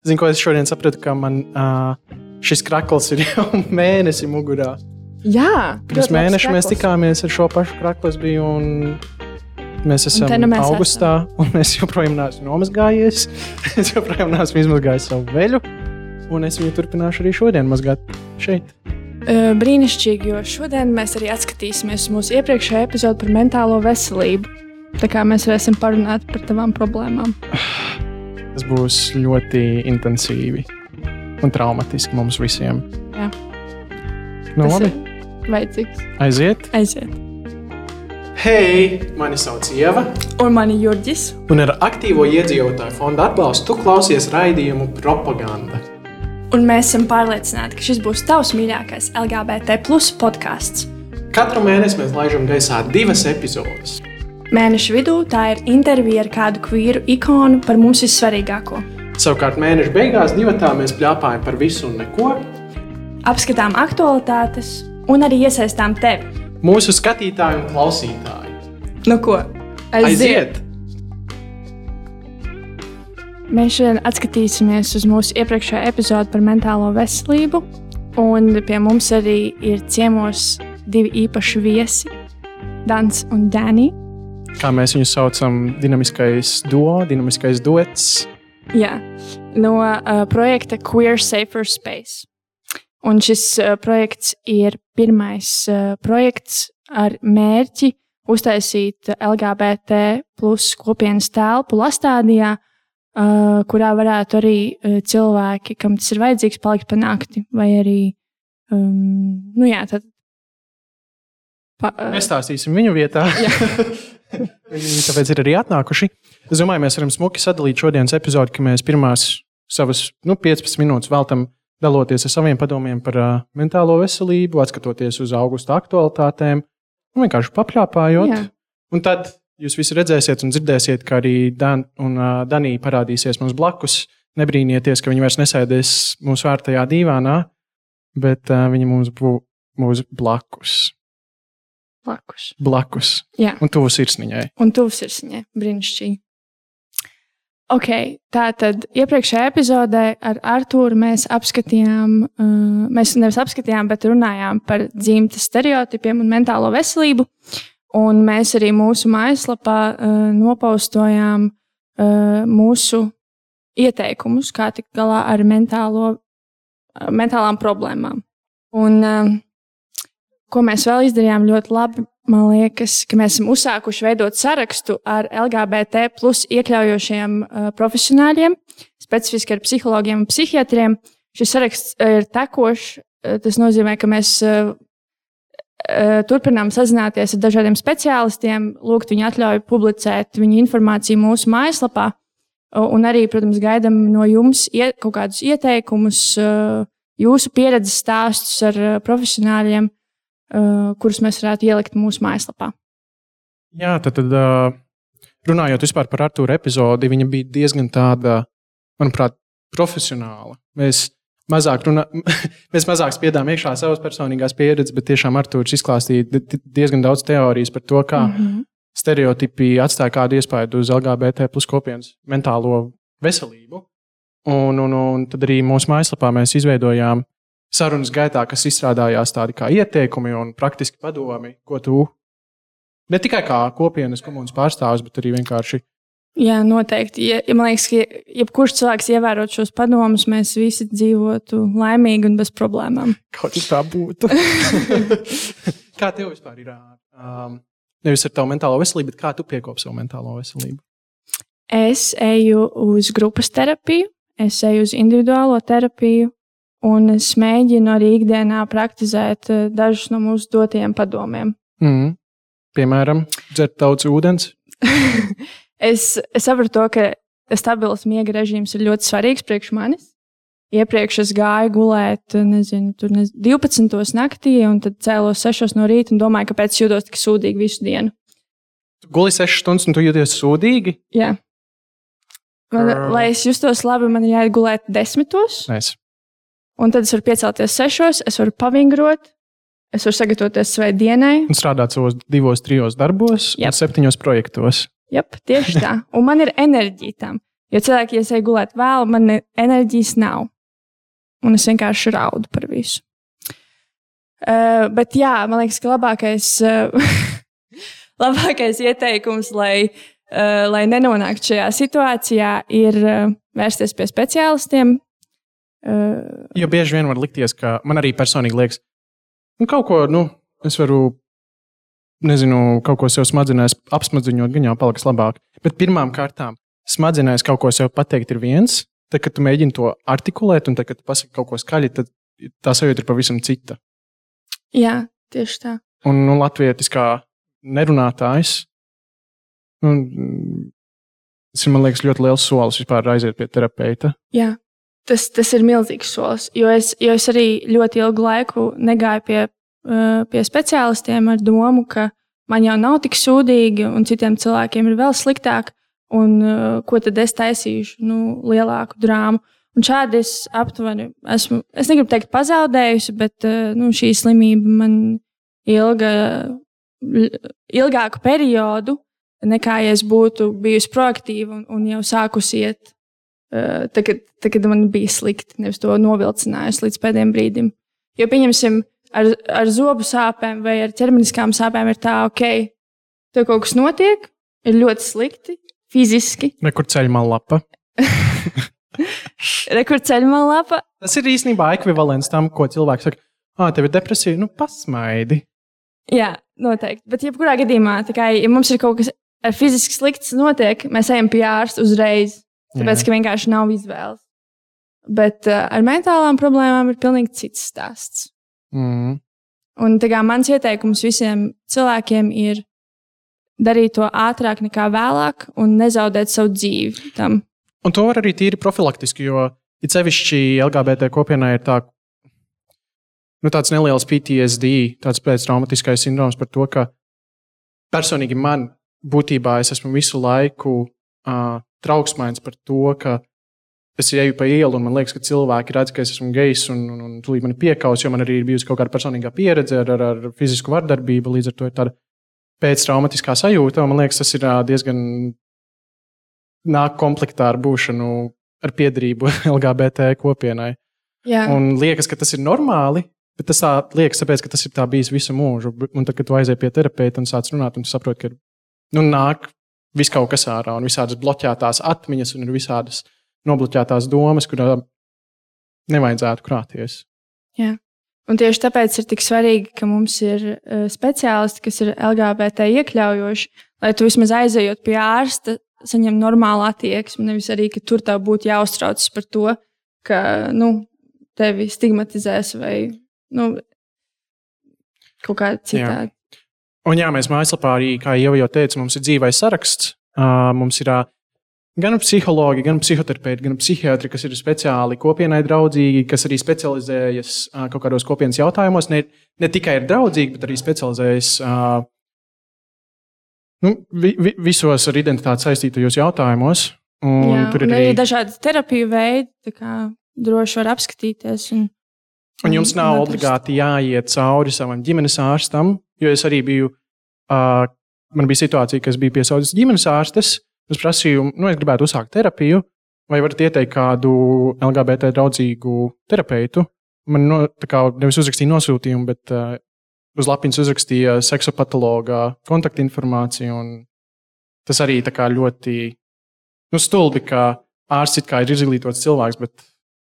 Zinu, ko es šodien sapratu, ka man šis krakls ir jau mēnesi mugurā. Jā. Pirms mēneša mēs tikāmies ar šo pašu kraklu, es biju un mēs esam augustā, un es joprojām neesmu nomazgājies. Es joprojām neesmu izmazgājis savu veļu, un es viņu turpināšu arī šodien mazgāt šeit. Brīnišķīgi, jo šodien mēs arī atskatīsimies mūsu iepriekšējā epizodu par mentālo veselību. Tā kā mēs varēsim parunāt par tavām problēmām. Tas būs ļoti intensīvi un traumatiski mums visiem. Jā. Nu, labi. Vajadzīgs. Aiziet. Hei, mani sauc Ieva. Un mani Jurģis. Un ar aktīvo iedzīvotāju fonda atbalstu tu klausies raidījumu Propaganda. Un mēs esam pārliecināti, ka šis būs tavs mīļākais LGBT+ podcasts. Katru mēnesi mēs laižam gaisā 2 epizodes. Mēneša vidū tā ir intervija ar kādu kvīru ikonu par mums vissvarīgāko. Savukārt mēneša beigās divatā mēs pļāpājam par visu un neko. Apskatām aktualitātes un arī iesaistām tevi. Mūsu skatītāji un klausītāji. Nu ko? Aiziet! Mēs šodien atskatīsimies uz mūsu iepriekšējo epizodu par mentālo veselību. Un pie mums arī ir ciemos 2 īpaši viesi, Dans un Dani. Kā mēs viņu saucam, dinamiskais duo, dinamiskais duets. Jā, no projekta Queer Safer Space. Un šis projekts ir pirmais projekts ar mērķi uztaisīt LGBT+ kopienas telpu Lastādijā, kurā varētu arī cilvēki, kam tas ir vajadzīgs, palikt pa nakti. Vai arī, Nestāstīsim viņu vietā. Viņi tāpēc ir arī atnākuši. Es domāju, mēs varam smuki sadalīt šodienas epizodi, ka mēs pirmās savas 15 minūtes veltam daloties ar saviem padomiem par mentālo veselību, atskatoties uz augusta aktualitātēm un vienkārši papļāpājot. Jā. Un tad jūs visi redzēsiet un dzirdēsiet, ka arī Dan un Danī parādīsies mums blakus. Nebrīnieties, ka viņi vairs nesēdēs mūsu vērtajā dīvānā, bet viņi mums būs blakus. Blakus. Jā. Un tuvu sirsniņai. Brīnišķīgi. Ok, tātad iepriekšējā epizodē ar Artūru mēs nevis apskatījām, bet runājām par dzimtes stereotipiem un mentālo veselību. Un mēs arī mūsu mājaslapā nopaustojām mūsu ieteikumus, kā tikt galā ar mentālām problēmām. Un ko mēs vēl izdarījām ļoti labi, man liekas, ka mēs esam uzsākuši veidot sarakstu ar LGBT+ iekļaujošiem profesionāļiem, specifiski ar psihologiem un psihiatriem. Šis saraksts ir tekošs. Tas nozīmē, ka mēs turpinām sazināties ar dažādiem speciālistiem, lūgt viņu atļauju publicēt viņu informāciju mūsu mājaslapā. Un arī, protams, gaidām no jums kaut kādus ieteikumus, jūsu pieredzes stāstus ar profesionāļiem, kurus mēs varētu ielikt mūsu mājaslapā. Jā, tad runājot vispār par Artūra epizodi, viņa bija diezgan tāda, manuprāt, profesionāla. Mēs mazāk spiedām iekšā savas personīgās pieredzes, bet tiešām Artūrs izklāstīja diezgan daudz teorijas par to, kā stereotipi atstāja kādu iespaidu uz LGBT+ kopienas mentālo veselību. Un tad arī mūsu mājaslapā mēs izveidojām sarunas gaitā, kas izstrādājās tādi kā ieteikumi un praktiski padomi, ko tu ne tikai kā kopienas komunas pārstāvis, bet arī vienkārši. Jā, noteikti. Man liekas, ka jebkurš cilvēks ievērot šos padomus, mēs visi dzīvotu laimīgi un bez problēmām. Kaut kā tā būtu. Kā tev vispār ir? Nevis ar tavu mentālo veselību, bet kā tu piekopi savu mentālo veselību? Es eju uz grupas terapiju, es eju uz individuālo terapiju, un es mēģinu arī ikdienā praktizēt dažus no mūsu dotajiem padomiem. Piemēram, dzert daudz ūdens? Es saprotu to, ka stabils miega režīms ir ļoti svarīgs priekš manis. Iepriekš es gāju gulēt, 12 naktī, un tad cēlos 6 no rīta un domāju, kāpēc jūtos tik sūdīgi visu dienu. Tu guli 6 stundas un tu jūties sūdīgi? Jā. Lai es justos labi, man ir jāiet gulēt 10. Nice. Un tad es varu piecelties 6, es varu pavingrot, es varu sagatavoties savai dienai. Un strādāt savos 2-3 darbos un 7 projektos. Jep, tieši tā. Un man ir enerģija tam. Jo cilvēki, ja es eju gulēt vēl, man enerģijas nav. Un es vienkārši raudu par visu. Bet jā, man liekas, ka labākais ieteikums, lai nenonāktu šajā situācijā, ir vērsties pie speciālistiem. Jo bieži vien var likties, ka man arī personīgi liekas, kaut ko, es varu, kaut ko sev smadzenēs apsmadziņot, gan jau paliks labāk. Bet pirmām kārtām smadzenēs kaut ko sev pateikt ir viens, tad, kad tu mēģini to artikulēt, un tad, kad tu pasaki kaut ko skaļi, tad tā sajūta ir pavisam cita. Jā, tieši tā. Un latvietis kā nerunātājs, tas ir, man liekas, ļoti liels solis vispār aiziet pie terapeita. Jā, tas ir milzīgs solis, jo es arī ļoti ilgu laiku negāju pie speciālistiem ar domu, ka man jau nav tik sūdīgi un citiem cilvēkiem ir vēl sliktāk, un ko tad es taisīšu, lielāku drāmu. Un šādi es aptuveni esmu, es negribu teikt pazaudējusi, bet šī slimība man ilgāku periodu, nekā ja es būtu bijusi proaktīva un jau sākusi iet, kad man bija slikti, nevis to novilcinājusi līdz pēdējiem brīdim. Jo, pieņemsim, ar zobu sāpēm vai ar ķermeniskām sāpēm ir tā, ok, tev kaut kas notiek, ir ļoti slikti, fiziski. Nekur ceļmalā lapa. Rekur ceļmalā lapa. Tas ir īstenībā ekvivalents tam, ko cilvēks saka, tev ir depresija, pasmaidi. Jā, noteikti. Bet jebkurā gadījumā, ja mums ir kaut kas fiziski slikts notiek, mēs ejam pie ārsta uzreiz, tāpēc, ka vienkārši nav izvēles. Bet ar mentālām problēmām ir pilnīgi cits stāsts. Un mans ieteikums visiem cilvēkiem ir darīt to ātrāk nekā vēlāk un nezaudēt savu dzīvi tam. Un to var arī tīri profilaktiski, jo it sevišķi LGBT kopienā ir tāds neliels PTSD, tāds pēctraumatiskais sindroms par to, ka personīgi man būtībā es esmu visu laiku trauksmains par to, ka es eju pa ielu un man liekas, ka cilvēki redz, ka es esmu gejs un tūlīt mani piekaus, jo man arī ir bijusi kaut kāda personīgā pieredze ar fizisku vardarbību, līdz ar to ir tāda pēctraumatiskā sajūta, un man liekas, tas ir diezgan nāk komplektā ar būšanu, ar piederību LGBT kopienai. Jā. Un liekas, ka tas ir normāli, bet tas tā liekas, tāpēc, ka tas ir tā bijis visu mūžu. Un tad, kad tu aizēji pie terapeita un sāc runāt, un tu saproti, ka nāk viss kaut kas ārā, un visādas bloķētās atmiņas, un ir visādas nobloķētās domas, kurām nevajadzētu krāties. Jā. Un tieši tāpēc ir tik svarīgi, ka mums ir speciālisti, kas ir LGBT iekļaujoši, lai tu vismaz aizejot pie ārsta, saņem normālu attieksmi, nevis arī, ka tur tev būtu jāuztraucas par to, ka, tevi stigmatizēs vai, kaut kā citādi. Jā. Un jā, mēs mājaslapā arī, kā jau teicu, mums ir dzīvais saraksts. Mums ir gan psihologi, gan psihoterapeiti, gan psihiatri, kas ir speciāli kopienai draudzīgi, kas arī specializējas kaut kādos kopienas jautājumos. Ne tikai ir draudzīgi, bet arī specializējas visos ar identitāti saistītajos jautājumos. Jā, tur ir arī dažādi terapiju veidi, tā kā droši var apskatīties. Un jums nav obligāti jāiet cauri savam ģimenes ārstam, jo es arī biju, man bija situācija, ka es biju pie savas ģimenes ārstes, es prasīju, es gribētu uzsākt terapiju, vai varat ieteikt kādu LGBT draudzīgu terapeitu. Man nevis uzrakstīja nosūtījumu, bet uz lapiņas uzrakstīja seksopatologa kontaktinformāciju, un tas arī tā kā ļoti stulbi, ka ārsts it kā ir izglītots cilvēks, bet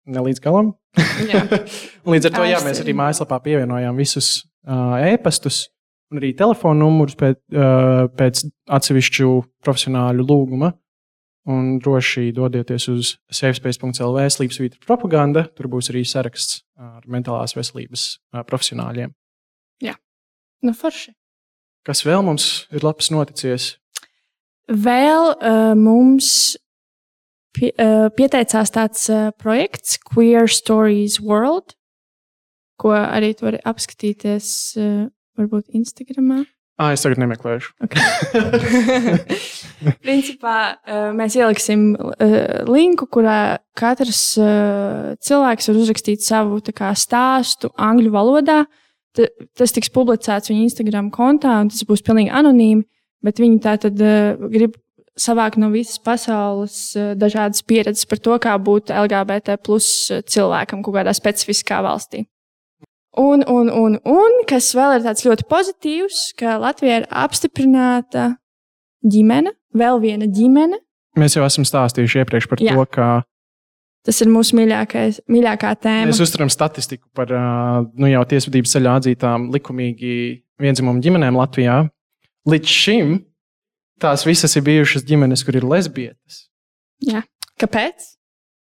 ne līdz galam. Līdz ar to, mēs arī mājaslapā pievienojām visus e-pastus un arī telefonu numurus pēc atsevišķu profesionāļu lūguma. Un droši dodieties uz safespace.lv /propaganda. Tur būs arī saraksts ar mentālās veselības profesionāļiem. Jā, forši. Kas vēl mums ir labs noticies? Vēl mums pieteicās tāds projekts Queer Stories World, ko arī tu vari apskatīties varbūt Instagramā. Es tagad nemeklēšu. Okay. Principā mēs ieliksim linku, kurā katrs cilvēks var uzrakstīt savu stāstu angļu valodā. Tas tiks publicēts viņa Instagram kontā, un tas būs pilnīgi anonīmi, bet viņi tātad grib savākt no visas pasaules dažādas pieredzes par to, kā būt LGBT plus cilvēkam kaut kādā specifiskā valstī. Un, kas vēl ir tāds ļoti pozitīvs, ka Latvijā ir apstiprināta ģimene, vēl viena ģimene. Mēs jau esam stāstījuši iepriekš par to, ka tas ir mūsu mīļākā tēma. Mēs uztveram statistiku par jau tiesvedības ceļā atzītām likumīgi viendzimumu ģimenēm Latvijā. Līdz šim tās visas ir bijušas ģimenes, kur ir lesbietes. Jā. Kāpēc?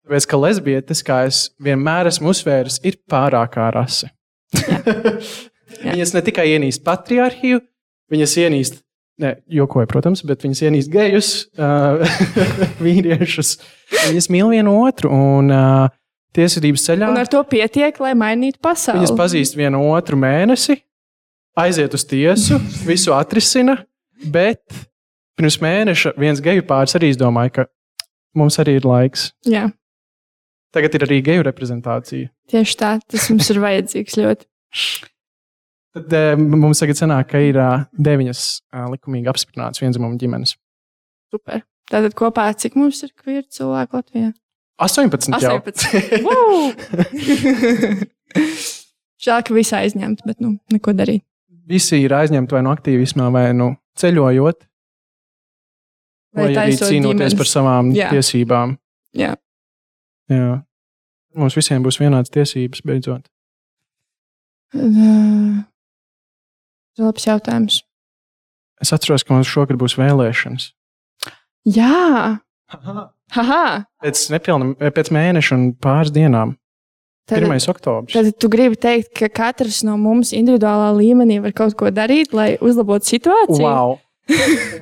Tāpēc, ka lesbietes, kā es vienmēr esmu uzsvēris, ir pārākā rase. Viņas ne tikai ienīst patriarhiju, viņas ienīst, jokoju, protams, bet viņas ienīst gejus, vīriešus. Viņas mīl vienu otru un tiesvedības ceļā. Un ar to pietiek, lai mainītu pasauli. Viņas pazīst vienu otru mēnesi, aiziet uz tiesu, visu atrisina, bet pirms mēneša viens geju pāris arī izdomāja, ka mums arī ir laiks. Jā. Tagad ir arī geju reprezentācija. Tieši tā, tas mums ir vajadzīgs ļoti. Tad mums tagad sanāk, ka ir 9 likumīgi apstiprinātas viendzimumu ģimenes. Super. Tātad kopā cik mums ir queer cilvēku Latvijā? 18 jau. 18. Wow! Žēl, ka visi aizņemti, bet neko darīt. Visi ir aizņemti vai no aktīvismā, vai ceļojot. Vai arī cīnoties par savām tiesībām. Jā. Mums visiem būs vienādas tiesības beidzot. Labs jautājums. Es atceros, ka mums šogad būs vēlēšanas. Jā! Haha! Pēc mēneša un pāris dienām. 1. oktobris. Tad tu gribi teikt, ka katrs no mums individuālā līmenī var kaut ko darīt, lai uzlabotu situāciju?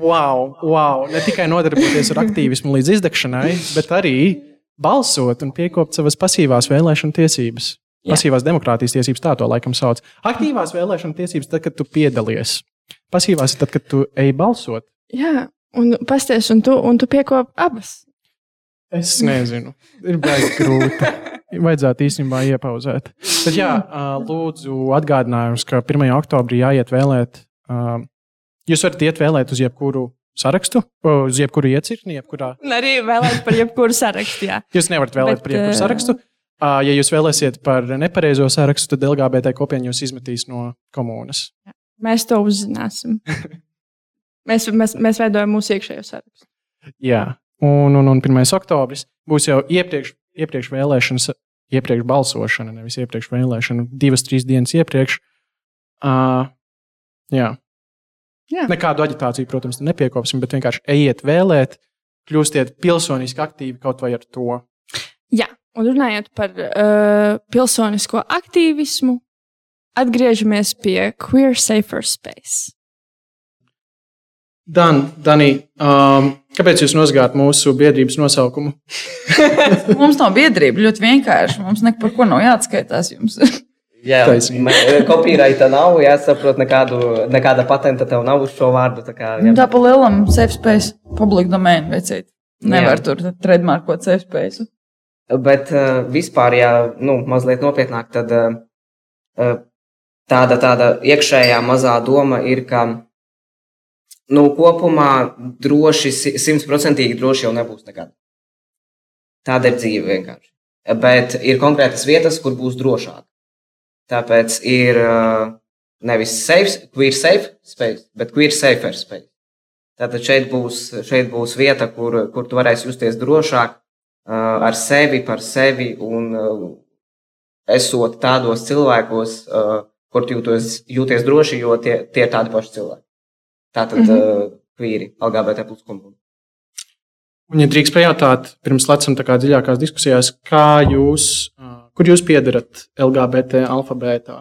Wow. Ne tikai nodarboties ar aktīvismu līdz izdegšanai, bet arī balsot un piekopt savas pasīvās vēlēšanu tiesības. Jā. Pasīvās demokrātijas tiesības, tā to laikam sauc. Aktīvās vēlēšanu tiesības tad, kad tu piedalies. Pasīvās ir tad, kad tu ej balsot. Jā, un pasties, un tu piekop abas. Es nezinu. Ir baigi grūti. Vajadzētu īstenībā iepauzēt. Tad jā, lūdzu atgādinājums, ka 1. oktobrī jāiet vēlēt. Jūs varat iet vēlēt uz jebkuru sarakstu, uz jebkuru iecirkni, jebkurā. Un arī vēlēt par jebkuru sarakstu, jā. Jūs nevarat vēlēt par jebkuru sarakstu. Ja jūs vēlēsiet par nepareizo sarakstu, tad LGBT kopiena jūs izmetīs no komunas. Mēs to uzzināsim. Mēs veidojam mūsu iekšējo sarakstu. Jā, un 1. oktobris būs jau iepriekš vēlēšanas, iepriekš balsošana, nevis iepriekš vēlēšana, 2-3 dienas iepriekš. Jā. Nekādu aģitāciju, protams, nepiekopsim, bet vienkārši ejiet vēlēt, kļūstiet pilsoniski aktīvi kaut vai ar to. Jā, un runājot par pilsonisko aktīvismu, atgriežamies pie Queer Safer Space. Dani, kāpēc jūs nozagāt mūsu biedrības nosaukumu? Mums nav biedrība, ļoti vienkārši. Mums neko par ko nav jāatskaitās jums. Jā, kopīraita nav, jāsaprot, nekāda patenta tev nav uz šo vārdu. Tā pa lielam safe space, public domain veicīt. Nevar tur trademarkot safe space. Bet vispār, ja mazliet nopietnāk, tad tāda iekšējā mazā doma ir, ka kopumā droši, 100% droši jau nebūs nekad. Tāda ir dzīve vienkārši. Bet ir konkrētas vietas, kur būs drošāk. Tāpēc ir nevis queer safe space, bet queer safer space. Tātad šeit būs vieta, kur tu varēsi justies drošāk ar sevi, par sevi un esot tādos cilvēkos, kur tu jūties droši, jo tie ir tādi paši cilvēki. Tātad queeri, LGBT plus komunija. Un, ja drīkst pajautāt, pirms lecam tā kā dziļākās diskusijās, kur jūs piederat LGBT alfabētā?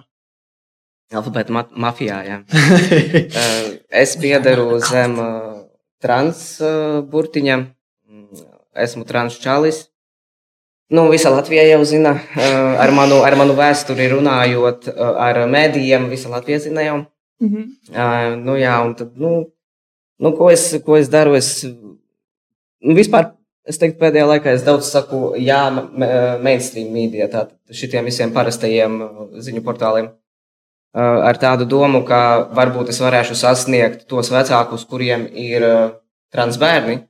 Alfabēta mafijā, jā. Es piederu zem trans burtiņa. Esmu trans čalis. Visa Latvija jau zina, ar manu vēsturi runājot, ar mēdījiem, visa Latvija zina jau. Un tad, ko es daru? Vispār, es teiktu, pēdējā laikā es daudz saku, mainstream media, tātad šitiem visiem parastajiem ziņu portāliem. Ar tādu domu, ka varbūt es varēšu sasniegt tos vecākus, kuriem ir trans bērni,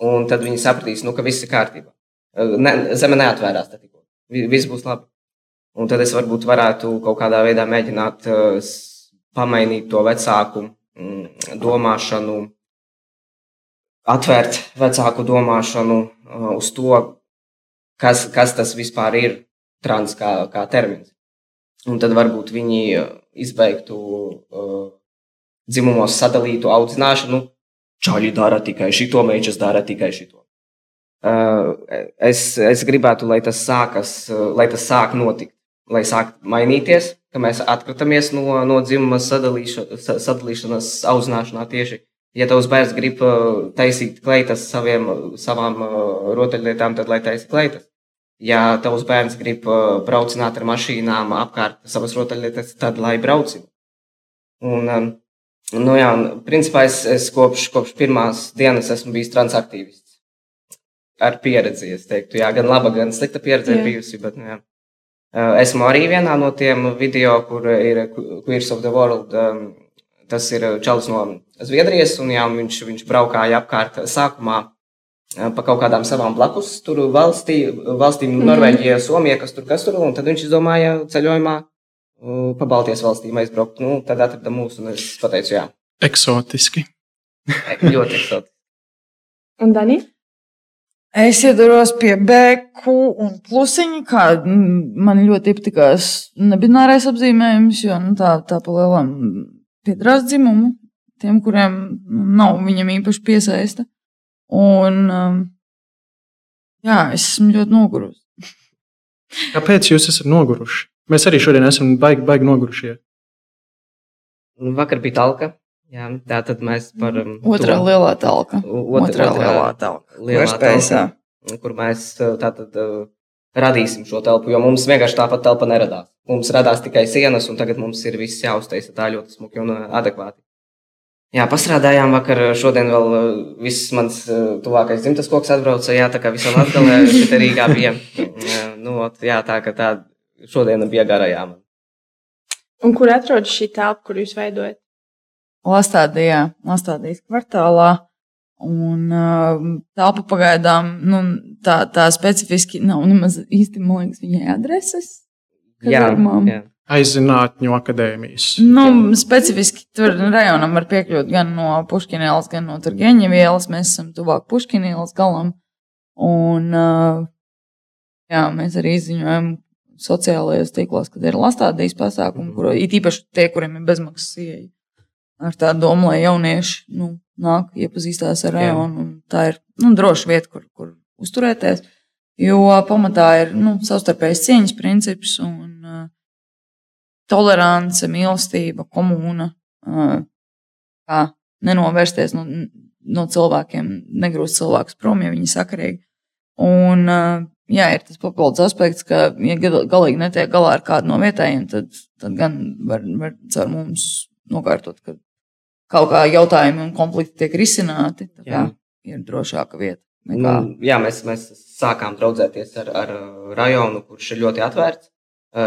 un tad viņi sapratīs, ka viss ir kārtībā. Zeme neatvērās, tad tikko. Viss būs labi. Un tad es varbūt varētu kaut kādā veidā mēģināt pamainīt to vecāku domāšanu, atvērt vecāku domāšanu uz to, kas tas vispār ir trans kā termins. Un tad varbūt viņi izbeigtu dzimumos sadalītu audzināšanu. Čaļi dara tikai šito, meičas dara tikai šito. Es gribētu, lai tas sāk notikt, lai sāk mainīties, ka mēs atkritamies no dzimuma sadalīšanas audzināšanā tieši. Ja tavs bērns grib taisīt kleitas savām rotaļlietām, tad lai taisa kleitas. Ja tavs bērns grib braucināt ar mašīnām apkārt savas rotaļlietas, tad lai braucina. Un principā es kopš pirmās dienas esmu bijis transaktīvists. Ar pieredzi, es teiktu, gan laba, gan slikta pieredze ir bijusi, bet, esmu arī vienā no tiem video, kur ir Queers of the World, tas ir čalis no Zviedrijas, un viņš braukāja apkārt sākumā pa kaut kādām savām blakus tur valstīm, Norvēģija, Somija, kas tur, un tad viņš izdomāja ceļojumā pa Baltijas valstīm aizbraukt, tad atrada mūs, un es pateicu, jā. Eksotiski. Ļoti eksotiski. Un Dani? Es iedaros pie BQ un plusiņa, kā man ļoti iepatikās nebinārais apzīmējums, jo tā pa lielam piedarās dzimumu, tiem, kuriem nav viņam īpaši piesaista. Un es esmu ļoti nogurusi. Kāpēc jūs esat noguruši? Mēs arī šodien esam baigi nogurušie. Vakar bija talka. Jā, tā tad mēs par... Otrā lielā talka. Otrā lielā talka. Lielā talka, kur mēs tātad radīsim šo telpu, jo mums vienkārši tāpat telpa neradās. Mums radās tikai sienas, un tagad mums ir viss jāuztaisa tā ļoti smuki un adekvāti. Jā, pastrādājām vakar, šodien vēl viss mans tuvākais dzimtas koks atbrauca, tā kā visam Latgalē, šeit Rīgā bija. Tā ka tā šodiena bija garajā man. Un kur atrodas šī telpa, kur jūs veidojat? Lastādijas kvartālā, un telpa pagaidām, tā specifiski nav nemaz īsti, man liekas, viņai adreses. Jā. Aizzinātņu akadēmijas. Specifiski tur rajonam var piekļūt gan no Puškina ielas, gan no Turgeņeva ielas. Mēs esam tuvāk Puškina ielas galam, un mēs arī izziņojam sociālajos tīklos, kad ir Lastādijas pasākumi, it īpaši tie, kuriem ir bezmaksas ieeja. Ar tādu domu, lai jaunieši nāk, iepazīstās ar rajonu, un tā ir droša vieta, kur uzturēties, jo pamatā ir savstarpējas cieņas princips un tolerance, mīlestība, komūna, kā nenovērsties no cilvēkiem, negrūst cilvēkus prom, ja viņi sakarīgi. Un, ir tas papildus aspekts, ka, ja galīgi netiek galā ar kādu no vietējiem, tad gan var caur mums nokārtot, ka kaut kā jautājumi un konflikti tiek risināti. Tā kā ir drošāka vieta. Mēs sākām draudzēties ar rajonu, kurš ir ļoti atvērts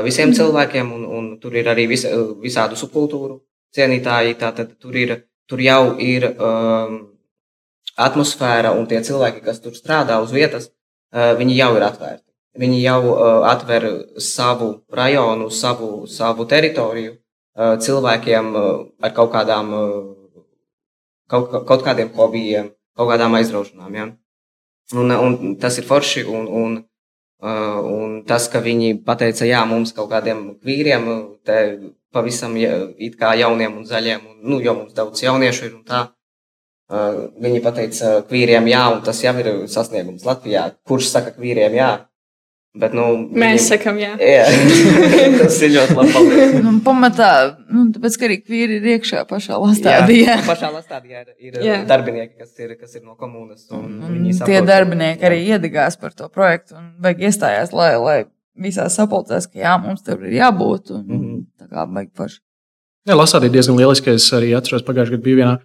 visiem cilvēkiem, un tur ir arī visādu subkultūru cienītāji. Tātad tur jau ir atmosfēra, un tie cilvēki, kas tur strādā uz vietas, viņi jau ir atvērti. Viņi jau atver savu rajonu, savu teritoriju cilvēkiem ar kaut kādiem hobijiem, kaut kādām aizraušanām. Ja? Un tas ir forši, un tas, ka viņi pateica, mums kaut kādiem kvīriem, te pavisam it kā jauniem un zaļiem, jo mums daudz jauniešu ir un tā, viņi pateica kvīriem un tas jau ir sasniegums Latvijā. Kurš saka kvīriem Bet, mēs sakam, jā. Tas ir ļoti labi. Pamatā, tāpēc, ka arī kvīri ir iekšā pašā Lastādijā. Pašā Lastādijā ir darbinieki, kas ir no komūnas. Tie darbinieki arī iedegās par to projektu un iestājās, lai visās sapulcēs, ka mums tur ir jābūt. Tā kā baigi paši. Lastādija diezgan lieliski. Es arī atceros, pagājušajā gadā bija vienā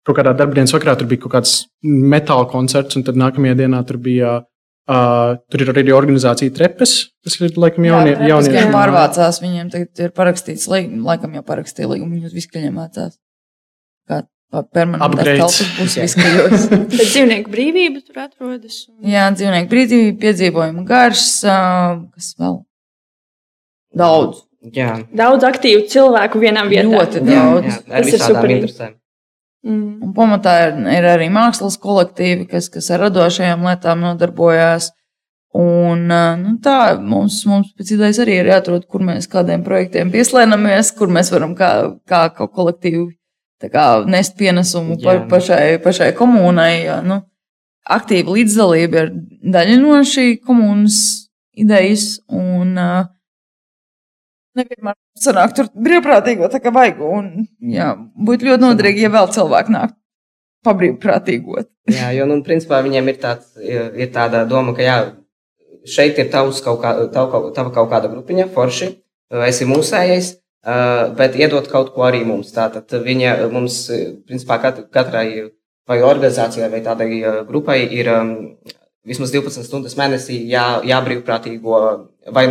kaut kādā darbdienas vakarā, tur bija kaut kāds metāla koncerts, un tad nākamajā dienā tur bija tur ir arī organizācija Trepes, kas ir laikam jaunieši. Viņiem pārvācās, viņiem tagad ir parakstīts, laikam jau parakstīja līgumu, viņi uz Viskaļiem mācās. permanentās telpas būs viskajos. Bet dzīvnieku brīvība tur atrodas. Jā, dzīvnieku brīvība, piedzīvojumu gars, kas vēl? Daudz. Jā. Daudz aktīvu cilvēku vienā vietā. Ļoti daudz. Jā, ar visādām interesēm. Un pamatā ir arī mākslas kolektīvi, kas ar radošajām lietām nodarbojās. Un tā mums pēc idejas arī ir jāatrod, kur mēs kādiem projektiem pieslēnamies, kur mēs varam kā kolektīvi nest pienesumu pašai komunai. Aktīva līdzdalība ir daļa no šī komunas idejas. Un nevienmēr sanāk tur brīvprātīgo, tā kā vajag. Un, jā, būtu ļoti noderīgi, ja vēl cilvēki nāk pabrīvprātīgot. Jā, jo, principā viņiem ir tāda doma, ka jā, šeit ir tava kaut kāda grupiņa, forši, esi mūsējais, bet iedot kaut ko arī mums. Tātad mums, principā, katrai vai organizācijai vai tādai grupai ir vismaz 12 stundas mēnesī jābrīvprātīgo vai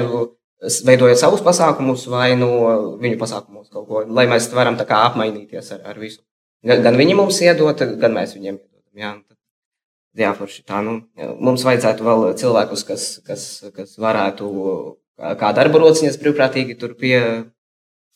veidojot savus pasākumus, vai viņu pasākumus kaut ko, lai mēs varam tā kā apmainīties ar visu. Gan viņi mums iedot, gan mēs viņiem iedodam. Jā, forši tā. Mums vajadzētu vēl cilvēkus, kas varētu kā darba rociņas brīvprātīgi tur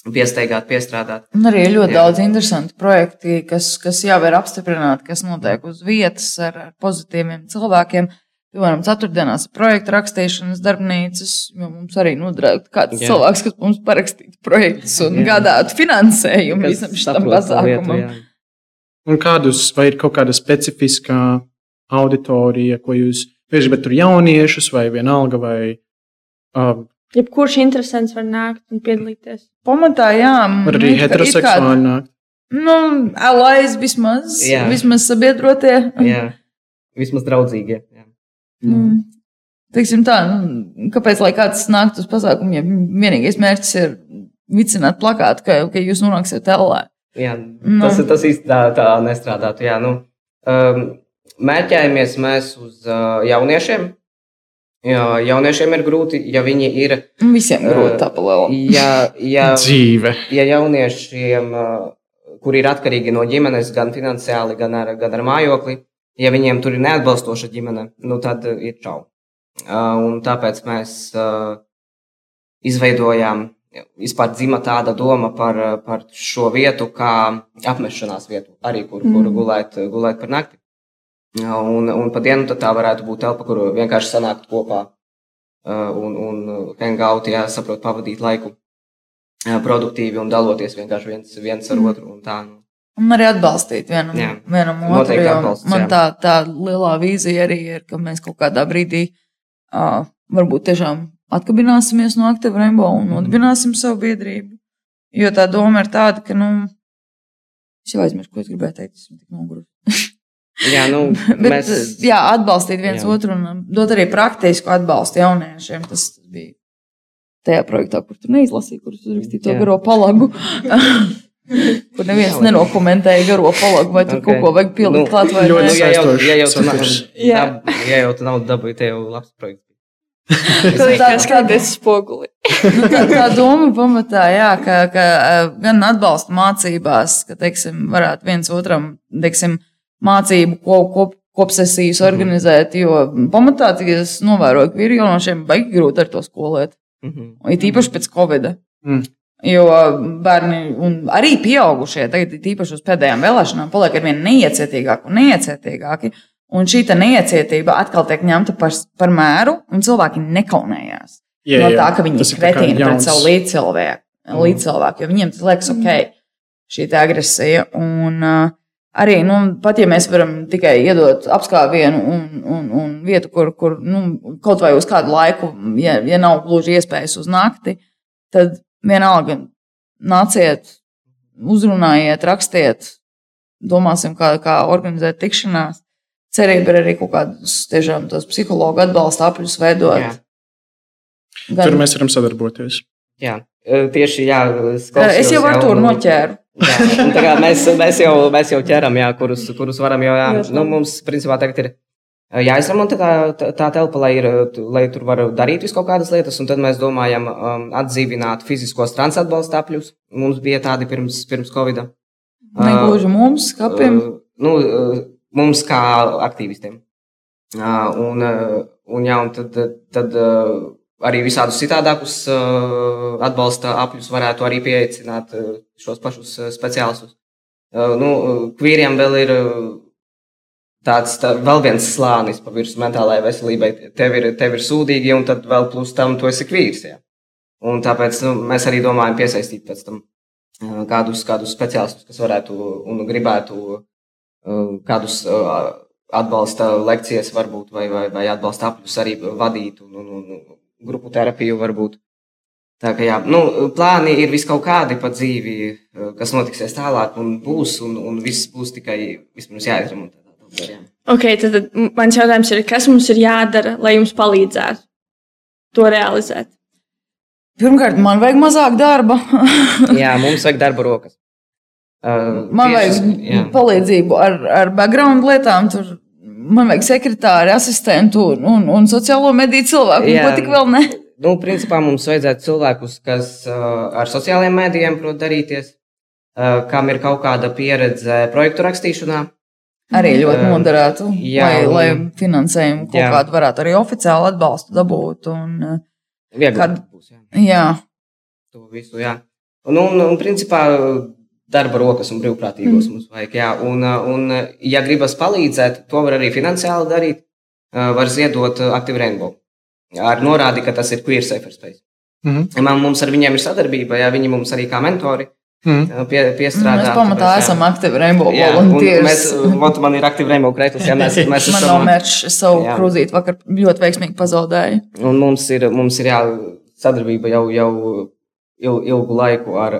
piesteigāt, piestrādāt. Un arī ir ļoti daudz interesanti projekti, kas jau ir apstiprināti, kas notiek uz vietas ar pozitīviem cilvēkiem. Piemēram, ceturtdienās ir projekta rakstīšanas darbnīcas, jo mums arī noderētu kāds cilvēks, kas mums parakstītu projektus un gādātu finansējumu visam šitam pasākumam. Un vai ir kaut kāda specifiskā auditorija, ko jūs gribat tur jauniešus vai vienalga vai... Jebkurš interesants var nākt un piedalīties. Pamatā, jā. Var arī heteroseksuāli nākt. Alais vismaz sabiedrotie. Jā, vismaz draudzīgie. Jā. Teiksim tā, kāpēc, lai kāds nāktu uz pasākumu, ja vienīgais mērķis ir vicināt plakātu, ka jūs nonāksiet ellē. Jā, tas īsti tā nestrādātu. Jā, mērķējamies mēs uz jauniešiem. Jā, jauniešiem ir grūti, ja viņi ir... Visiem grūti tā pa lielu. Dzīve. Ja jauniešiem, kuri ir atkarīgi no ģimenes, gan finansiāli, gan ar mājokli, ja viņiem tur ir neatbalstoša ģimene, tad ir čau. Un tāpēc mēs izveidojām, vispār dzima tāda doma par šo vietu, kā apmešanās vietu, arī kur gulēt par nakti. Un pa dienu tā varētu būt telpa, kur vienkārši sanākt kopā un hangout, saprot, pavadīt laiku produktīvi un daloties vienkārši viens ar otru un tā. Un arī atbalstīt vienam otru, jo man tā lielā vīzija arī ir, ka mēs kaut kādā brīdī varbūt tiešām atkabināsimies no Active Rainbow un nodibināsim savu biedrību. Jo tā doma ir tāda, ka, es jau aizmirsu, ko es gribēju teikt, esmu tik nogurusi. Bet, atbalstīt viens otru un dot arī praktisku atbalstu jauniešiem. Tas bija tajā projektā, kur tu neizlasīji, kur tu uzrakstīji to garo palagu. Kur neviens nenokomentēja garo palagu, vai tur kaut ko vajag pildīt klāt vai ne. Ja jau tu naudu dabūji, te jau labs projekts. Skaties spoguli. Tā doma pamatā, ka gan atbalsta mācībās, ka, teiksim, varētu viens otram, teiksim, mācību kopsesijas organizēt, jo pamatā, cik es novēroju, ka vīrjaunošiem baigi grūti ar to skolēt. Ir īpaši pēc Covida. Jo bērni un arī pieaugušie, tagad īpaši uz pēdējām vēlēšanām, paliek ar vien neiecietīgāki. Un šī neiecietība atkal tiek ņemta par mēru, un cilvēki nekaunējās. No tā, ka viņi ir kretīni pret savu līdzcilvēku, jo viņiem tas liekas ok, šī agresija. Un arī, pat ja mēs varam tikai iedot apskāvienu un vietu, kur kaut vai uz kādu laiku, ja nav gluži iespējas uz nakti, tad vienalga nāciet, uzrunājiet, rakstiet, domāsim, kā organizēt tikšanās. Cerība ir arī kaut kādus tiešām tos psihologu atbalsta apļus veidot. Tur mēs varam sadarboties. Jā, tieši es jau ar to noķēru. Mēs jau ķeram, kurus varam, jo mums principā tagad ir jāizremontē tā telpa, lai tur var darīt visu kaut kādas lietas, un tad mēs domājam atdzīvināt fiziskos transatbalsta apļus. Mums bija tādi pirms Covida. Negluži mums, kapiem? Mums kā aktīvistiem. Un tad arī visādus citādākus atbalsta apļus varētu arī pieaicināt šos pašus speciālistus. Kvīriem vēl ir vēl viens slānis pa virsmu mentālajai veselībai. Tev ir sūdīgi, un tad vēl plus tam tu esi kvīrs. Ja? Un tāpēc mēs arī domājam piesaistīt pēc tam kādus speciālistus, kas varētu un gribētu kādus atbalsta lekcijas varbūt, vai atbalsta apļus arī vadīt un grupu terapiju varbūt. Tā kā jā, plāni ir vis kaut kādi pa dzīvi, kas notiksies tālāk un būs, un viss būs tikai vispirms jāizremontē. Ok, tad mans jautājums ir, kas mums ir jādara, lai jums palīdzētu to realizēt? Pirmkārt, man vajag mazāk darba. Jā, mums vajag darba rokas. Man vajag palīdzību ar background lietām, tur man vajag sekretāri, asistentu un sociālo mediju cilvēku, ko tik vēl ne. Principā mums vajadzētu cilvēkus, kas ar sociālajiem medijiem prot darīties, kam ir kaut kāda pieredze projektu rakstīšanā. Arī ļoti moderētu, lai finansējumu kaut kādu varētu arī oficiāli atbalstu dabūt. Vieglāk būs, jā. To visu, jā. Un principā darba rokas un brīvprātīgos mums vajag, jā. Un ja gribas palīdzēt, to var arī finansiāli darīt, var ziedot Active Rainbow. Ar norādi, ka tas ir Queer Safer Space. Mums ar viņiem ir sadarbība, jā, viņi mums arī kā mentori piestrādā. Mēs pamatā esam Active Rainbow volunteers. Man ir Active Rainbow krekls, jā, mēs esam. Man nav mērķis, es savu krūzīti vakar ļoti veiksmīgi pazaudēju. Un mums ir jā, sadarbība jau ilgu laiku ar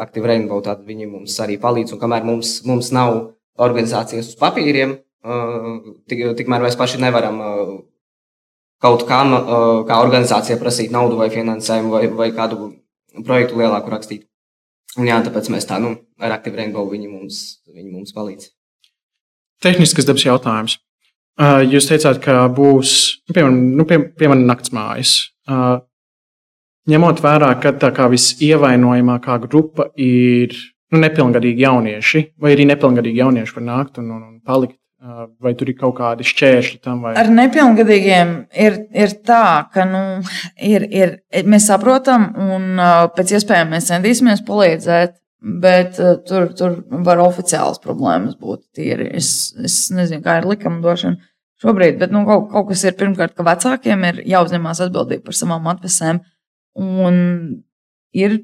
Active Rainbow, tad viņi mums arī palīdz, un kamēr mums nav organizācijas uz papīriem, tikmēr mēs paši nevaram kaut kam, kā organizācija prasīt naudu vai finansējumu vai kādu projektu lielāku rakstīt. Un jā, tāpēc mēs ar Active Rainbow viņi mums palīdz. Tehniskas dabas jautājums. Jūs teicāt, ka būs, piemēram, naktsmājas. Ņemot vērā, ka tā kā visievainojamākā grupa ir nepilngadīgi jaunieši, vai arī nepilngadīgi jaunieši var nākt un palikt, vai tur ir kaut kādi šķēršļi tam? Vai? Ar nepilngadīgiem ir tā, ka mēs saprotam un pēc iespējām mēs centīsimies palīdzēt, bet tur var oficiāls problēmas būt tīri. Es nezinu, kā ir likumdošana šobrīd, bet kaut kas ir pirmkārt, ka vecākiem ir jāuzņemās atbildība par savām atvesēm. Un ir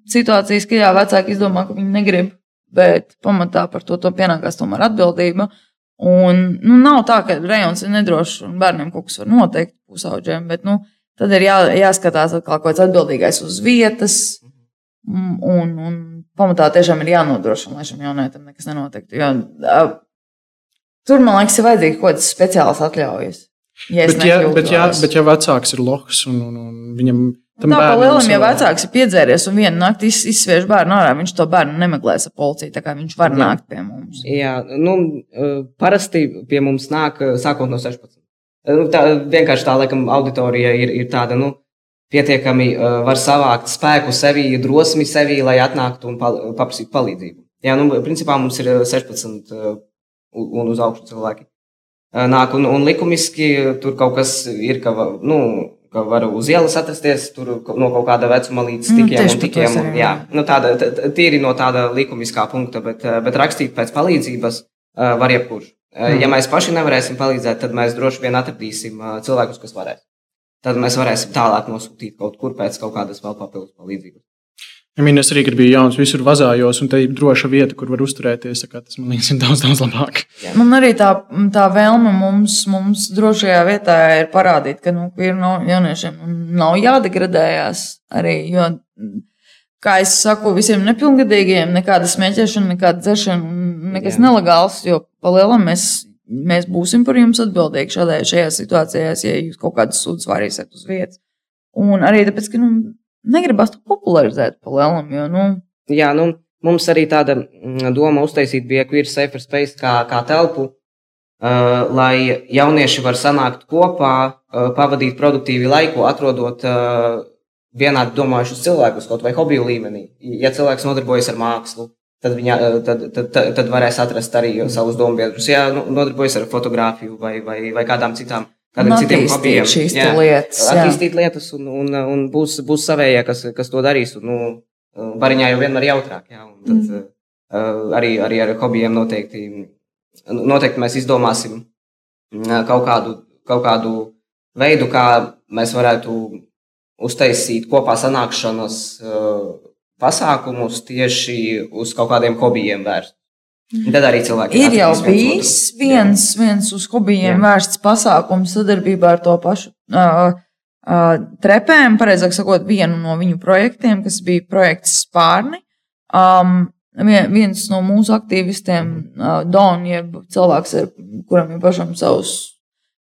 situācijas, ka vecāki izdomā, ka viņi negrib, bet pamatā par to pienākās tomēr atbildība. Un nav tā, ka rejons ir nedrošs un bērniem kaut kas var noteikt pusauģiem, bet tad ir jāskatās atkal kaut kāds atbildīgais uz vietas un pamatā tiešām ir jānodrošina, lai šim jaunietim nekas nenotiktu. Jo, tur, man liekas, ir vajadzīgi kaut kāds speciāls atļaujas. Bet ja vecāks ir lohs un viņam tā pa lielam, ja vecāks ir piedzēries un vienu nakti izsviež bērnu ārā, viņš to bērnu nemeklēs ar policiju, tā kā viņš var nākt pie mums. Jā, parasti pie mums nāk sākot no 16. Vienkārši tā, laikam, auditorija ir tāda, pietiekami var savākt spēku sevī, drosmi sevī, lai atnāktu un paprasītu palīdzību. Jā, principā mums ir 16 un uz augšu cilvēki. Nāk un likumiski tur kaut kas ir, ka var uz ielas atrasties tur no kaut kāda vecuma līdz tikiem. Jā, tīri no tāda likumiskā punkta, bet rakstīt pēc palīdzības var jebkurš. Ja mēs paši nevarēsim palīdzēt, tad mēs droši vien atradīsim cilvēkus, kas varēs. Tad mēs varēsim tālāk nosūtīt kaut kur pēc kaut kādas vēl papildus palīdzības. Es arī, kad biju jauns, visur vazājos, un te ir droša vieta, kur var uzturēties. Tas, man liekas, ir daudz, daudz labāk. Man arī tā vēlme mums drošajā vietā ir parādīt, ka jauniešiem nav jādegradējās arī, jo, kā es saku, visiem nepilngadīgiem nekāda smēķēšana, nekāda dzeršana, nekas nelegāls, jo pa lielam mēs būsim par jums atbildīgi šajā situācijās, ja jūs kaut kādas sūdzes varīsiet uz vietas. Un arī tāpēc, ka, negribas to popularizēt pa lielam, jo, Jā, mums arī tāda doma uztaisīt bija Queer Safer Space kā telpu, lai jaunieši var sanākt kopā, pavadīt produktīvi laiku, atrodot vienādi domājušus cilvēkus, kaut vai hobiju līmenī. Ja cilvēks nodarbojas ar mākslu, tad varēs atrast arī savus dombiedrus. Ja nodarbojas ar fotografiju vai kādiem citiem hobijiem. Attīstīt lietas un būs savējie, kas to darīs. Un, bariņā jau vienmēr jautrāk. Ja, un tad arī ar hobijiem noteikti mēs izdomāsim kaut kādu veidu, kā mēs varētu uztaisīt kopā sanākšanas pasākumus tieši uz kaut kādiem hobijiem vērst. Tad arī cilvēki ir jau bijis viens uz hobijiem vērsts pasākums sadarbībā ar to pašu trepēm, pareizāk sakot, vienu no viņu projektiem, kas bija projekts Spārni. Viens no mūsu aktīvistiem, Don, jeb cilvēks, kuram ir pašam savus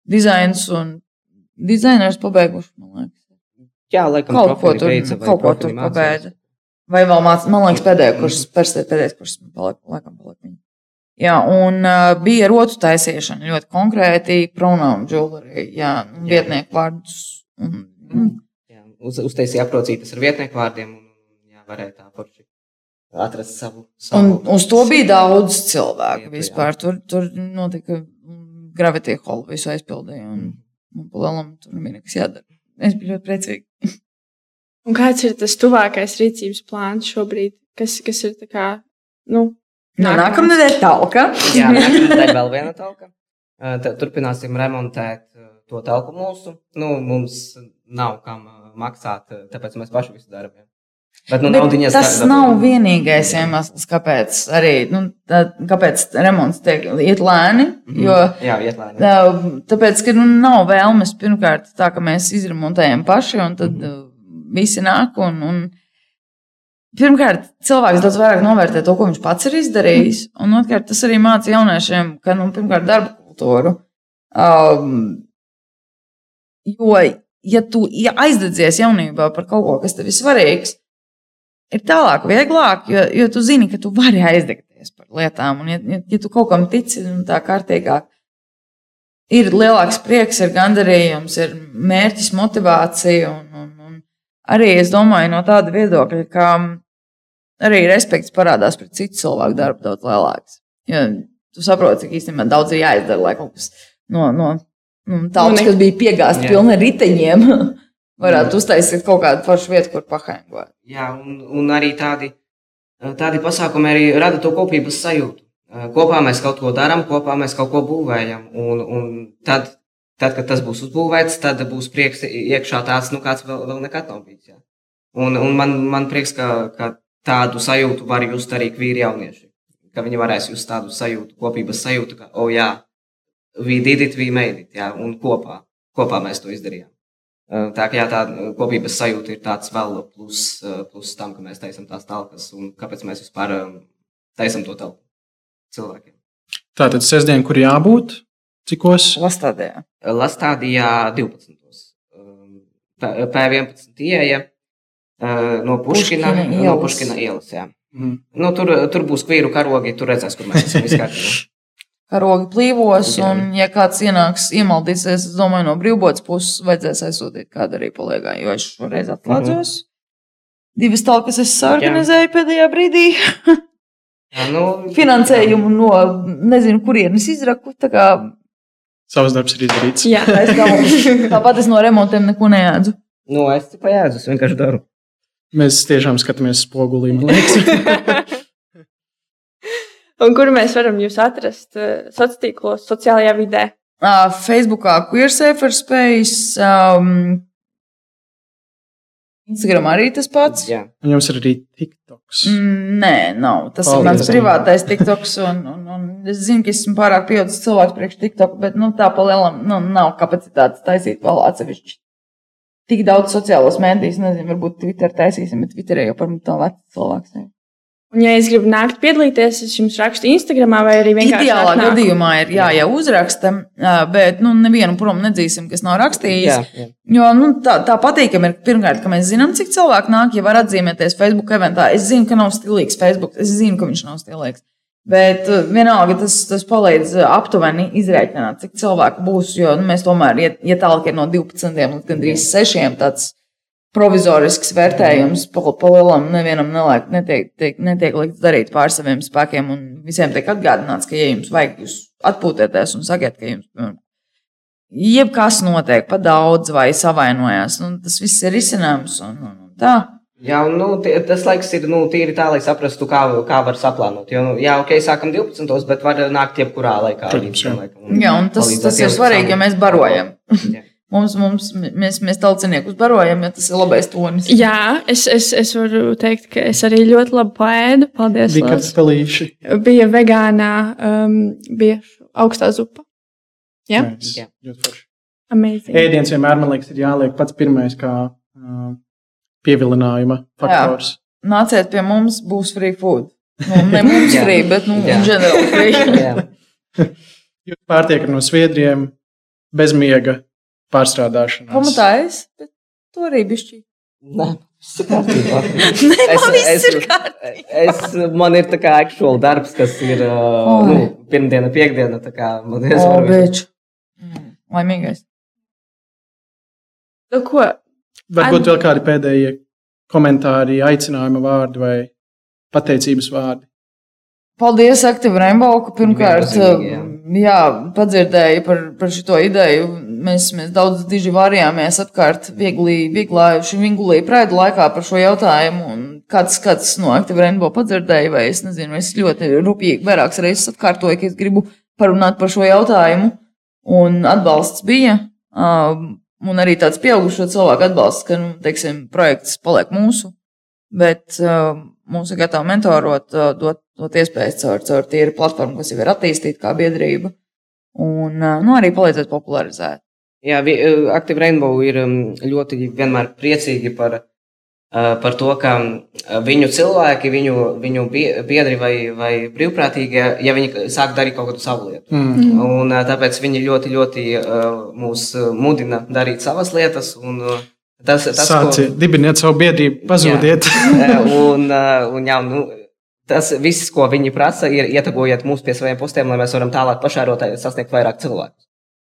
dizainus un dizainers pabeiguši, man liekas. Jā, laikam kaut ko tur pabeidza. Vai vēl man liekas pēdējais kurs laikam palika. Jā, un bija rotu taisīšana ļoti konkrēti, pronoun jewelry, vietnieku vārdus. Uztaisīja aprocītas ar vietnieku vārdiem un varēja tā forši atrast savu. Un uz to bija daudz cilvēku vispār. Tur notika Gravity Hall visu aizpildīja un pa lielam tur nebija nekas jādara. Es biju ļoti priecīgi. Un kāds ir tas tuvākais rīcības plāns šobrīd? Kas ir tā kā, nākamnedēļ talka. Jā, nākamnedēļ vēl viena talka. Turpināsim remontēt to talku mūsu. Mums nav kam maksāt, tāpēc mēs paši visu darām. Bet, tas nav vienīgais iemesls, kāpēc arī, kāpēc remonts iet lēni. Iet lēni. Tāpēc, ka nav vēlmes pirmkārt tā, ka mēs izremontējam paši un tad visi nāk un pirmkārt, cilvēks daudz vairāk novērtē to, ko viņš pats ir izdarījis, un otrkārt, tas arī māca jauniešiem, ka, pirmkārt, darba kultūru. Jo, ja tu aizdedzies jaunībā par kaut ko, kas tev ir svarīgs, ir tālāk vieglāk, jo tu zini, ka tu vari aizdegties par lietām, un ja tu kaut kam tici tā kārtīgāk, ir lielāks prieks, ir gandarījums, ir mērķis, motivācija, un arī es domāju no tāda viedokļa, ka arī respekts parādās pret citu cilvēku darbu daudz lielāks. Jo tu saproti, cik īstenībā daudz ir jāizdara, lai kaut kas no talpas, kas bija piegāsti pilni ar riteņiem, varētu uztaisīt kaut kādu foršu vietu, kur pahaingot. Jā, un arī tādi pasākumi arī rada to kopības sajūtu. Kopā mēs kaut ko darām, kopā mēs kaut ko būvējam, un tad, kad tas būs uzbūvēts, tad būs prieks iekšā tāds, kāds vēl nekad nav bijis. Jā. Un man prieks, ka tādu sajūtu var just arī kvīri jaunieši. Ka viņi varēs just tādu sajūtu, kopības sajūtu, ka, we did it, we made it, jā, un kopā mēs to izdarījām. Tā kā tā kopības sajūta ir tāds vēl plus tam, ka mēs taisam tās talkas un kāpēc mēs vispār taisam to talku cilvēkiem. Tātad sestdien, kur jābūt? Cikos? Lastādījā. Lastādījā 12. P11 ieeja no Puškina ielas. Jā. Tur būs kvīru karogi, tur redzēs, kur mēs esam izkārtībā. Karogi plīvos, un ja kāds iemaldīsies, es domāju, no brīvbotas puses vajadzēs aizsūtīt kādu arī paliegā, jo es šoreiz atslēdzos. 2 talkas es organizēju pēdējā brīdī. Finansējumu no nezinu, kurienes izraku, tā kā... Savs darbs ir izdarīts. Jā, tāpat es no remontiem neko neēdzu. Es tikai ēdzu, es vienkārši daru. Mēs tiešām skatāmies spogulī, man liekas. Un kur mēs varam jūs atrast sociālos tīklos, sociālajā vidē? Facebookā Queer Safer Space, Instagram arī tas pats. Jā. Un jums ir arī TikToks? Nē, nav. Tas ir mans privātais TikToks, un es zinu, ka esmu pārāk pieaudzis cilvēks priekš TikTok, bet tā pa lielam nav kapacitātes taisīt vēl atsevišķi. Tik daudz sociālos mēdījus, nezinu, varbūt Twitter taisīsim, bet Twitterē jau par tā vecs cilvēks. Un, ja es gribu nākt piedalīties, es jums rakstu Instagramā vai arī vienkārši ideālā gadījumā ir jau uzraksta, bet nevienu prom nedzīsim, kas nav rakstījis. Jā. Jo tā patīkam ir pirmkārt, ka mēs zinām, cik cilvēki nāk, ja var atzīmēties Facebook eventā. Es zinu, ka nav stilīgs Facebook, es zinu, ka viņš nav stilīgs. Bet vienalga tas palīdz aptuveni izrēķināt, cik cilvēku būs, jo mēs tomēr, ja tālāk ir no 12 līdz gandrīz 6, tāds provizorisks vērtējums pa lielam nevienam netiek likts darīt pār saviem spēkiem, un visiem tiek atgādināts, ka, ja jums vajag, jūs atpūtieties un sakiet, ka jums jebkas notiek pa daudz vai savainojās, tas viss ir izcinājums un tā. Jā, tas laiks ir tīri tā, lai saprastu, kā var saplānot. Jo, sākam 12, bet var nākt jebkurā laikā. Jā, un tas ir svarīgi, ja mēs barojam. Mēs tauciniekus barojam, ja tas ir labais tonis. Jā, es varu teikt, ka es arī ļoti labi paēdu. Paldies. Bija kāds pelīši. Bija vegānā, bija augstā zupa. Jā? Jā. Amazing. Ēdiens vienmēr, man liekas, ir jāliek pats pirmais kā pievilinājuma faktors. Jā. Nāciet pie mums, būs free food. Ne mums free, bet generāli free. Jūs pārtiekat no sviedriem, bez miega. Pārstrādāšanās. Pamatājas, bet to arī bišķi. Nē, viss ir kārtībā. Man ir tā kā actual darbs, kas ir pirmdiena, piekdiena. Tā kā man beču. Laimīgais. Ko? Varbūt vēl kādi pēdējie komentāri, aicinājuma vārdi vai pateicības vārdi. Paldies, Active Rainbow, ka pirmkārt padzirdēju par šito ideju. Mēs daudz diži varījāmies apkārt vingulī Pride laikā par šo jautājumu. Un kāds no Active Rainbow padzirdēja, vai es nezinu, es ļoti rupjīgi vairākas reizes atkārtoju, ka es gribu parunāt par šo jautājumu. Un atbalsts bija. Un arī tāds pieaugušo cilvēku atbalsts, ka, teiksim, projekts paliek mūsu. Bet mūsu ir gatavi mentorot, dot iespējas caur tīru platformu, kas jau ir attīstīta kā biedrība, un arī palīdzēt popularizēt. Jā, Active Rainbow ir ļoti vienmēr priecīgi par to, ka viņu cilvēki, viņu biedri vai brīvprātīgie, ja viņi sāk darīt kaut kādu savu lietu. Un tāpēc viņi ļoti, ļoti mūs mudina darīt savas lietas, un dibiniet savu biedrību, pazūdiet. Tas viss, ko viņi prasa, ir ietagojiet mūs pie saviem postiem, lai mēs varam tālāk pašērot, sasniegt vairāk cilvēkus.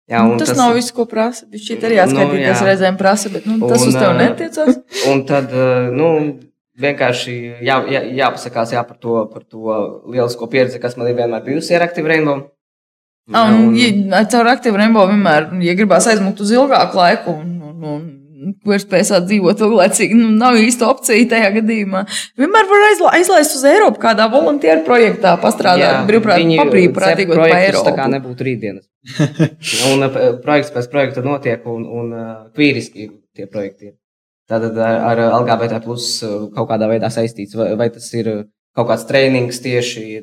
Jā, tas nav viss, ko prasa. Šķiet arī jāskaitīties reizēm prasa, bet tas uz tev netiecās. Un tad, vienkārši jāpasakās par to lielisko pieredzi, kas man ir vienmēr bijusi ar Active Rainbow. Caur Active Rainbow vienmēr, ja gribās aizmukt uz ilgāku laiku un vērtspējā dzīvot ilglaicīgi, nav īsta opcija tajā gadījumā. Vienmēr var aizlaist uz Eiropu kādā volunteeru projektā, pastrādāt brīvprātīgot pa Eiropu. Tā kā nebūtu rītdienas. Un projekts pēc projekta notiek un kvīriski tie projekti ir. Tātad ar LGBT plus kaut kādā veidā saistīts, vai tas ir kaut kāds treinings tieši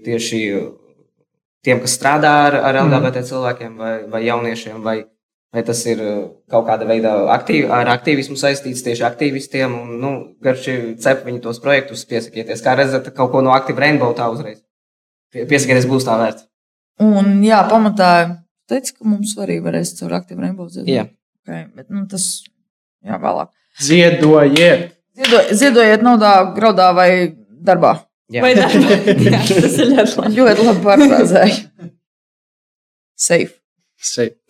tiem, kas strādā ar LGBT cilvēkiem vai jauniešiem, vai tas ir kaut kāda veida ar aktīvismu saistīts tieši aktīvistiem, un, garši cep viņi tos projektus, piesakieties. Kā redzat, kaut ko no Active Rainbow tā uzreiz. Piesakieties, būs tā vērts. Un, pamatā teica, ka mums arī varēs caur Active Rainbow ziedot. Jā. Okay, bet, tas, vēlāk. Ziedojiet! Ziedojiet naudā, graudā vai darbā. Jā. Vai darbā. Jā, tas ir ļoti labi. Ļoti labi pārfrāzēju. Safe.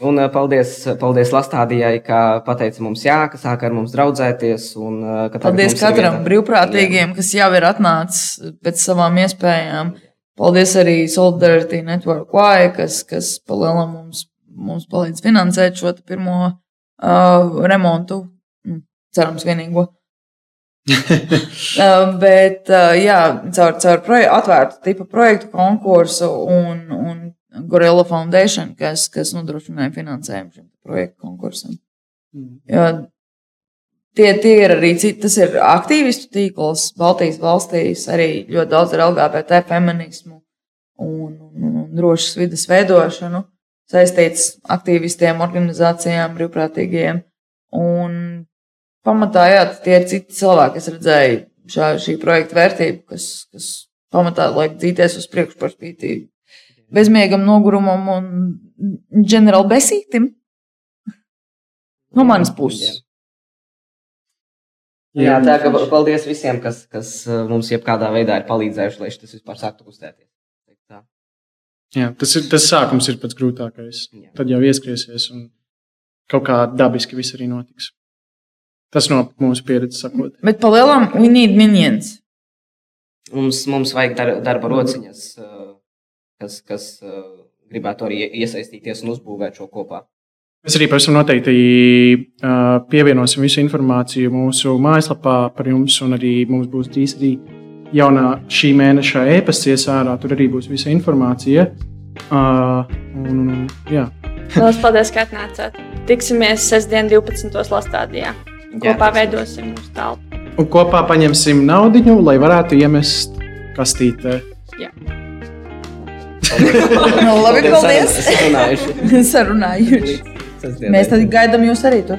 Un paldies Lastādijai, ka pateica mums ka sāka ar mums draudzēties. Paldies katram brīvprātīgiem, kas jau ir atnācis pēc savām iespējām. Paldies arī Solidarity Network Y, kas palielam mums palīdz finansēt šo pirmo remontu. Cerams vienīgo. Bet, caur atvērtu tipu projektu konkursu un Gorilla Foundation, kas nodrošināja finansējumu šim projektu konkursam. Tie ir arī citi, tas ir aktīvistu tīkls Baltijas valstīs, arī ļoti daudz ar LGBT feminismu un drošas vides veidošanu, saistīts aktīvistiem, organizācijām, brīvprātīgiem. Un pamatā, tie ir citi cilvēki, kas redzēja šī projekta vērtību, kas pamatā liek dzīties uz priekšu par spīti bezmiegam, nogurumam un ģenerāli besītim. No manas puses. Jā, tā ka paldies visiem, kas mums jebkādā veidā ir palīdzējuši, lai tas vispār sāktu kustēties. Jā, tas sākums ir pats grūtākais. Jā. Tad jau ieskriesies un kaut kā dabiski viss arī notiks. Tas no mūsu pieredzes sakot. Bet pa lielam we need minions. Mums vajag darba rociņas, kas gribētu arī iesaistīties un uzbūvēt šo kopā. Mēs arī pavisam noteikti pievienosim visu informāciju mūsu mājaslapā par jums, un arī mums būs drīz arī jaunā šī mēneša e-pasts iesārā. Tur arī būs visa informācija. Jā. Lielas paldies, ka atnācāt. Tiksimies sestdien 12. Lastādijā. Kopā veidosim mūsu telpu. Un kopā paņemsim naudiņu, lai varētu iemest kastītē. Jā. Labi, paldies. Sarunājuši. Mēs tad gaidām jūs arī tur.